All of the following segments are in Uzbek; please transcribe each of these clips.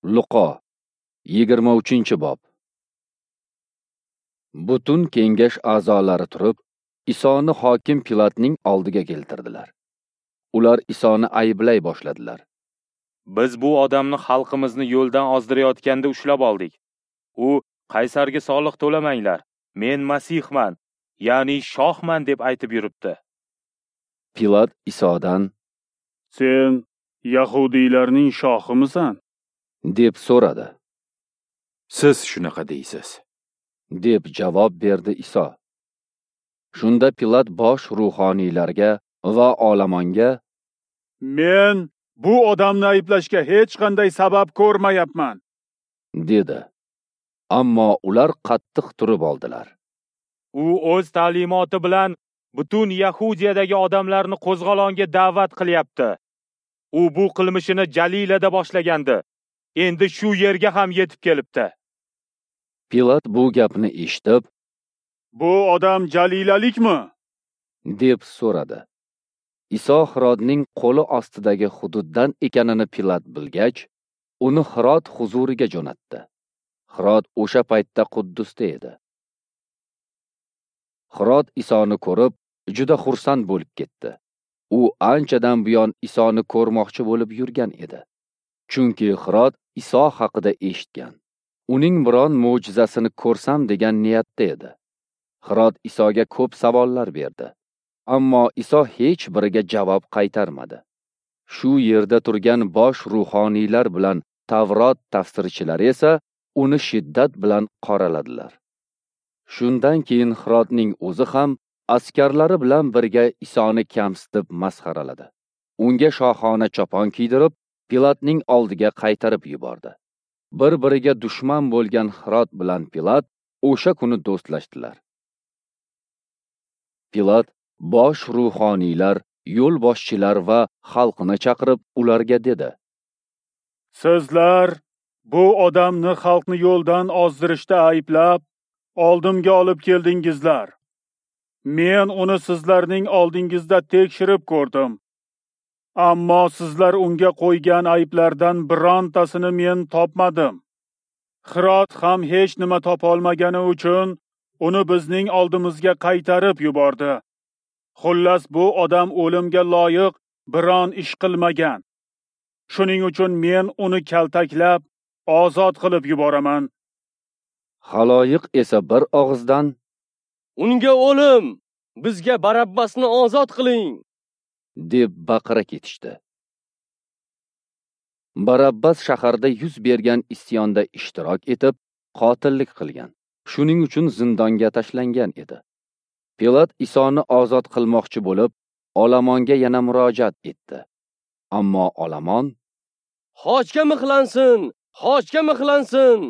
Luqo 23-bob. Butun kengash a'zolari turib, Isoni hokim Pilatning oldiga keltirdilar. Ular Isoni ayblay boshladilar. Biz bu odamni xalqimizni yo'ldan ozdirayotganda ushlab oldik. U Qaysarga soliq to'lamanglar, men Masihman, ya'ni shohman deb aytib yuribdi. Pilat Isodan: "Sen yahudiylarning shohimisan?" deb so'radi. "Siz shunaqa deysiz", deb javob berdi Iso. Shunda Pilat bosh ruhoniylarga va olamonga: "Men bu odamni ayblashga hech qanday sabab ko'rmayapman", dedi. Ammo ular qattiq turib oldilar. U o'z ta'limoti bilan butun Yahudiyadagi odamlarni qo'zg'olonga da'vat qilyapti. U bu qilmishini Jalilada boshlagandi. Endi shu yerga ham yetib kelibdi. Pilat bu gapni eshitib, "Bu odam Jalilalikmi?" deb so'radi. Iso Hirodning qo'li ostidagi hududdan ekanini Pilat bilgach, uni Hirod huzuriga jo'natdi. Hirod o'sha paytda Quddusda edi. Hirod Isoni ko'rib, juda xursand bo'lib ketdi. U anchadan buyon Isoni ko'rmoqchi bo'lib yurgan edi. Chunki Hirod Iso haqida eshitgan. Uning biron mo'jizasini ko'rsam degan niyatda edi. Hirod Isoga ko'p savollar berdi. Ammo Iso hech biriga javob qaytarmadi. Shu yerda turgan bosh ruhoniylar bilan Tavrot tafsirchilari esa uni shiddat bilan qoraladilar. Shundan keyin Hirodning o'zi ham askarlari bilan birga Isoni kamsitib masxaraladi. Unga shohona chopon kiydirib, Pilatning oldiga qaytarib yubordi. Bir-biriga dushman bo'lgan Hirod bilan Pilat o'sha kuni do'stlashdilar. Pilat bosh ruhoniylar, yo'lboshchilar va xalqni chaqirib ularga dedi: "Sizlar bu odamni xalqni yo'ldan ozdirishda ayblab, oldimga olib keldingizlar. Men uni sizlarning oldingizda tekshirib ko'rdim. Ammo sizlar unga qo'ygan ayblardan birontasini men topmadim. Hirod ham hech nima topa olmagani uchun uni bizning oldimizga qaytarib yubordi. Xullas, bu odam o'limga loyiq biron ish qilmagan. Shuning uchun men uni kaltaklab ozod qilib yuboraman." Xaloyiq esa bir og'izdan: "Unga o'lim, bizga Barabbasni ozod qiling", deb baqira ketishdi. Barabbas shaharda yuz bergan isyonda ishtirok etib, qotillik qilgan. Shuning uchun zindonga tashlangan edi. Pilat Isoni ozod qilmoqchi bo'lib, olomonga yana murojaat etdi. Ammo olomon: "Xochga mixlansin, xochga mixlansin",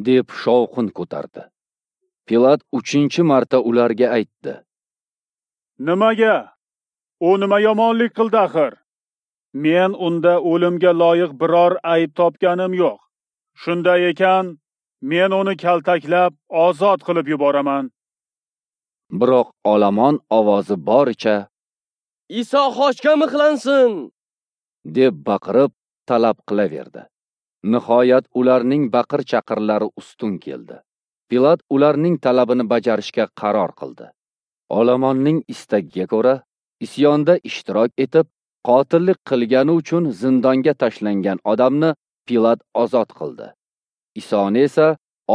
deb shovqin ko'tardi. Pilat 3-marta ularga aytdi: "Nimaga? U nima yomonlik qildi axir? Men unda o'limga loyiq biror ayb topganim yo'q. Shunday ekan, men uni kaltaklab ozod qilib yuboraman." Biroq olomon ovozi boricha: "Iso xochga mixlansin", deb baqirib talab qilaverdi. Nihoyat ularning baqir-chaqirlari ustun keldi. Pilat ularning talabini bajarishga qaror qildi. Olomonning istagiga ko'ra, isyonda ishtirok etib, qotillik qilgani uchun zindonga tashlangan odamni Pilat ozod qildi. Isoni esa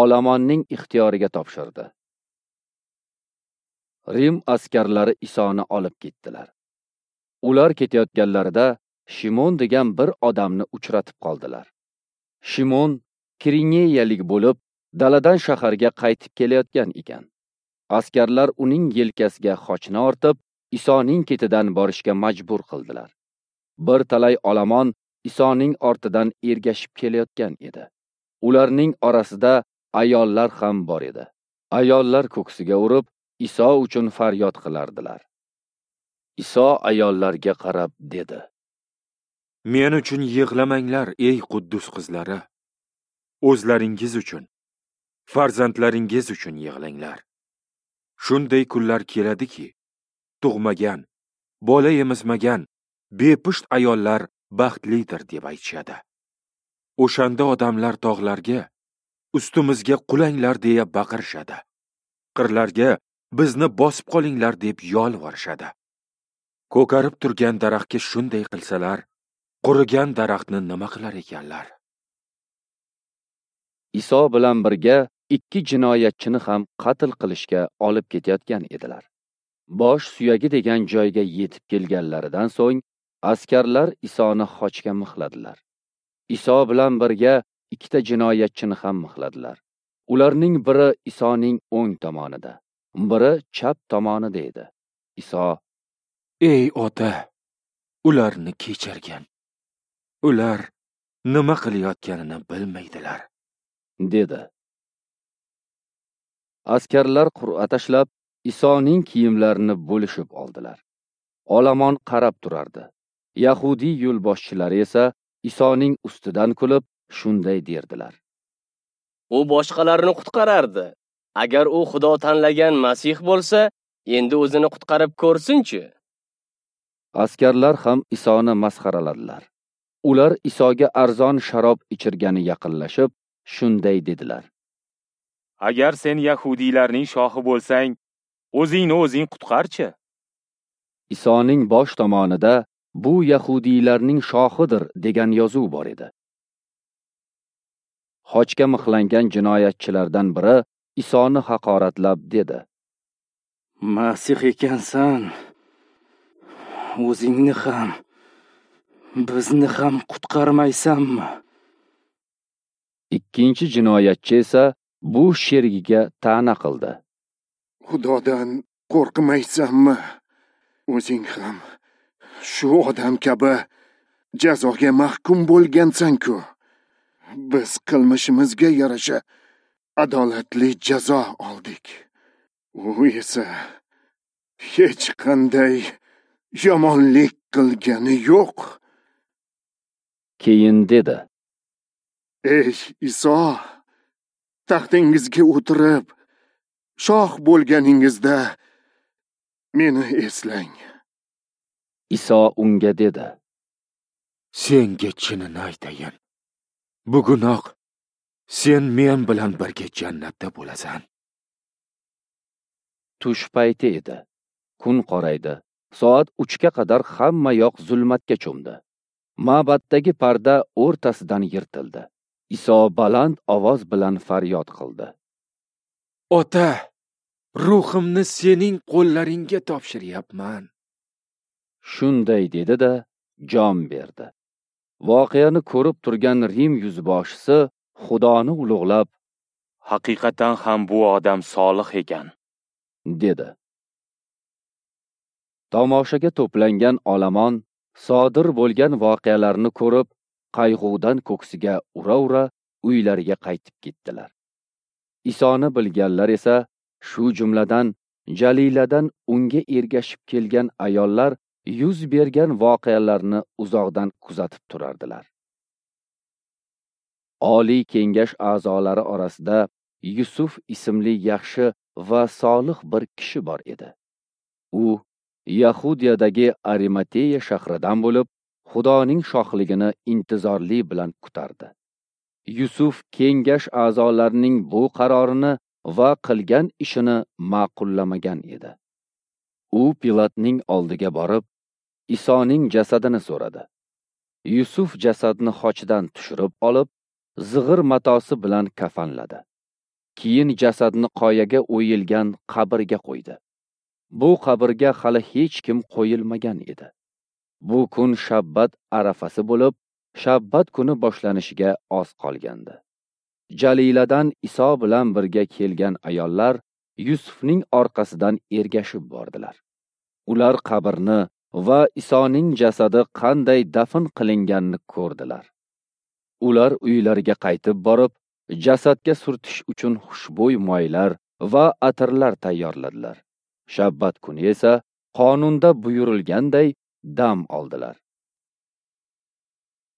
olomonning ixtiyoriga topshirdi. Rim askarlari Isoni olib ketdilar. Ular ketayotganlarida Shimon degan bir odamni uchratib qoldilar. Shimon Kirineyalik bo'lib, daladan shaharga qaytib kelayotgan ekan. Askarlar uning yelkasiga xochni ortib, Isoning ketidan borishga majbur qildilar. Bir talay olomon Isoning ortidan ergashib kelayotgan edi. Ularning orasida ayollar ham bor edi. Ayollar ko'ksiga urib, Iso uchun faryod qilardilar. Iso ayollarga qarab dedi: "Men uchun yig'lamanglar, ey Quddus qizlari. O'zlaringiz uchun, farzandlaringiz uchun yig'langlar. Shunday kunlar keladiki, tug'magan, bola emizmagan, bepusht ayollar baxtlidir deb aytishadi. O'shanda odamlar tog'larga, ustimizga qulanglar deya baqirishadi. Qirlarga, bizni bosib qolinglar deb yolvorishadi. Ko'karib turgan daraxtga shunday qilsalar, qurigan daraxtni nima qilar ekanlar? Iso bilan birga 2 jinoyatchini ham qatl qilishga olib ketayotgan edilar. Bosh suyagi degan joyga yetib kelganlaridan so'ng askarlar Isoni xochga mixladilar. Iso bilan birga 2 jinoyatchini ham mixladilar. Ularning biri Isoning o'ng tomonida, biri chap tomonida edi. Iso: "Ey ota, ularni kechirgin. Ular nima qilayotganini bilmaydilar", dedi. Askarlar qur'a tashlab, Isoning kiyimlarini bo'lishib oldilar. Olomon qarab turardi. Yahudiy yo'lboshchilari esa Isoning ustidan kulib, shunday derdilar: "U boshqalarni qutqarardi. Agar u Xudo tanlagan Masih bo'lsa, endi o'zini qutqarib ko'rsinchi." Askarlar ham Isoni masxaraladilar. Ular Isoga arzon sharob ichirgani yaqinlashib, shunday dedilar: "Agar sen yahudiylarning shohi bo'lsang, o'zingni o'zing qutqarchi." Isoning bosh tomonida "Bu yahudiylarning shohidir" degan yozuv bor edi. Xochga mixlangan jinoyatchilardan biri Isoni haqoratlab dedi: "Masih ekansan, o'zingni ham, bizni ham qutqarmaysanmi?" Ikkinchi jinoyatchi esa bu sherigiga ta'na qildi: "Xudodan qo'rqmaysanmi? O'zing ham shu odam kabi jazoga mahkum bo'lgansan-ku. Biz qilmishimizga yarasha adolatli jazo oldik. U esa hech qanday yomonlik qilgani yo'q." Keyin dedi: "Ey Iso, taxtingizga o'tirib, shoh bo'lganingizda meni eslang." Iso unga dedi: "Senga chinini aytayin, bugunoq sen men bilan birga jannatda bo'lasan." Tush payti edi. Kun qoraydi. Soat 3 ga qadar hamma yoq zulmatga cho'mdi. Ma'baddagi parda o'rtasidan yirtildi. Iso baland ovoz bilan faryod qildi: "Ota, ruhimni sening qo'llaringga topshiryapman." Shunday dedi-da, jon berdi. Voqeani ko'rib turgan Rim yuzboshisi Xudoni ulug'lab, "Haqiqatan ham bu odam solih ekan", dedi. Tomoshaga to'plangan olomon sodir bo'lgan voqealarni ko'rib, qayg'udan ko'ksiga ura-ura uylariga qaytib ketdilar. Isoni bilganlar esa, shu jumladan Jaliladan unga ergashib kelgan ayollar yuz bergan voqealarni uzoqdan kuzatib turardilar. Oliy kengash a'zolari orasida Yusuf ismli yaxshi va solih bir kishi bor edi. U Yahudiyadagi Arimateya shahridan bo'lib, Xudoning shohligini intizorlik bilan kutardi. Yusuf kengash a'zolarining bu qarorini va qilgan ishini ma'qullamagan edi. U Pilatning oldiga borib, Isoning jasadini so'radi. Yusuf jasadni xochdan tushirib olib, zig'ir matosi bilan kafanladi. Keyin jasadni qoyaga o'yilgan qabrga qo'ydi. Bu qabrga hali hech kim qo'yilmagan edi. Bu kun shabbat arafasi bo'lib, shabbat kuni boshlanishiga oz qolgandi. Jaliladan Iso bilan birga kelgan ayollar Yusufning orqasidan ergashib bordilar. Ular qabrni va Isoning jasadi qanday dafn qilinganini ko'rdilar. Ular uylariga qaytib borib, jasadga surtish uchun xushbo'y moylar va atirlar tayyorladilar. Shabbat kuni esa qonunda buyurilganday dam oldilar.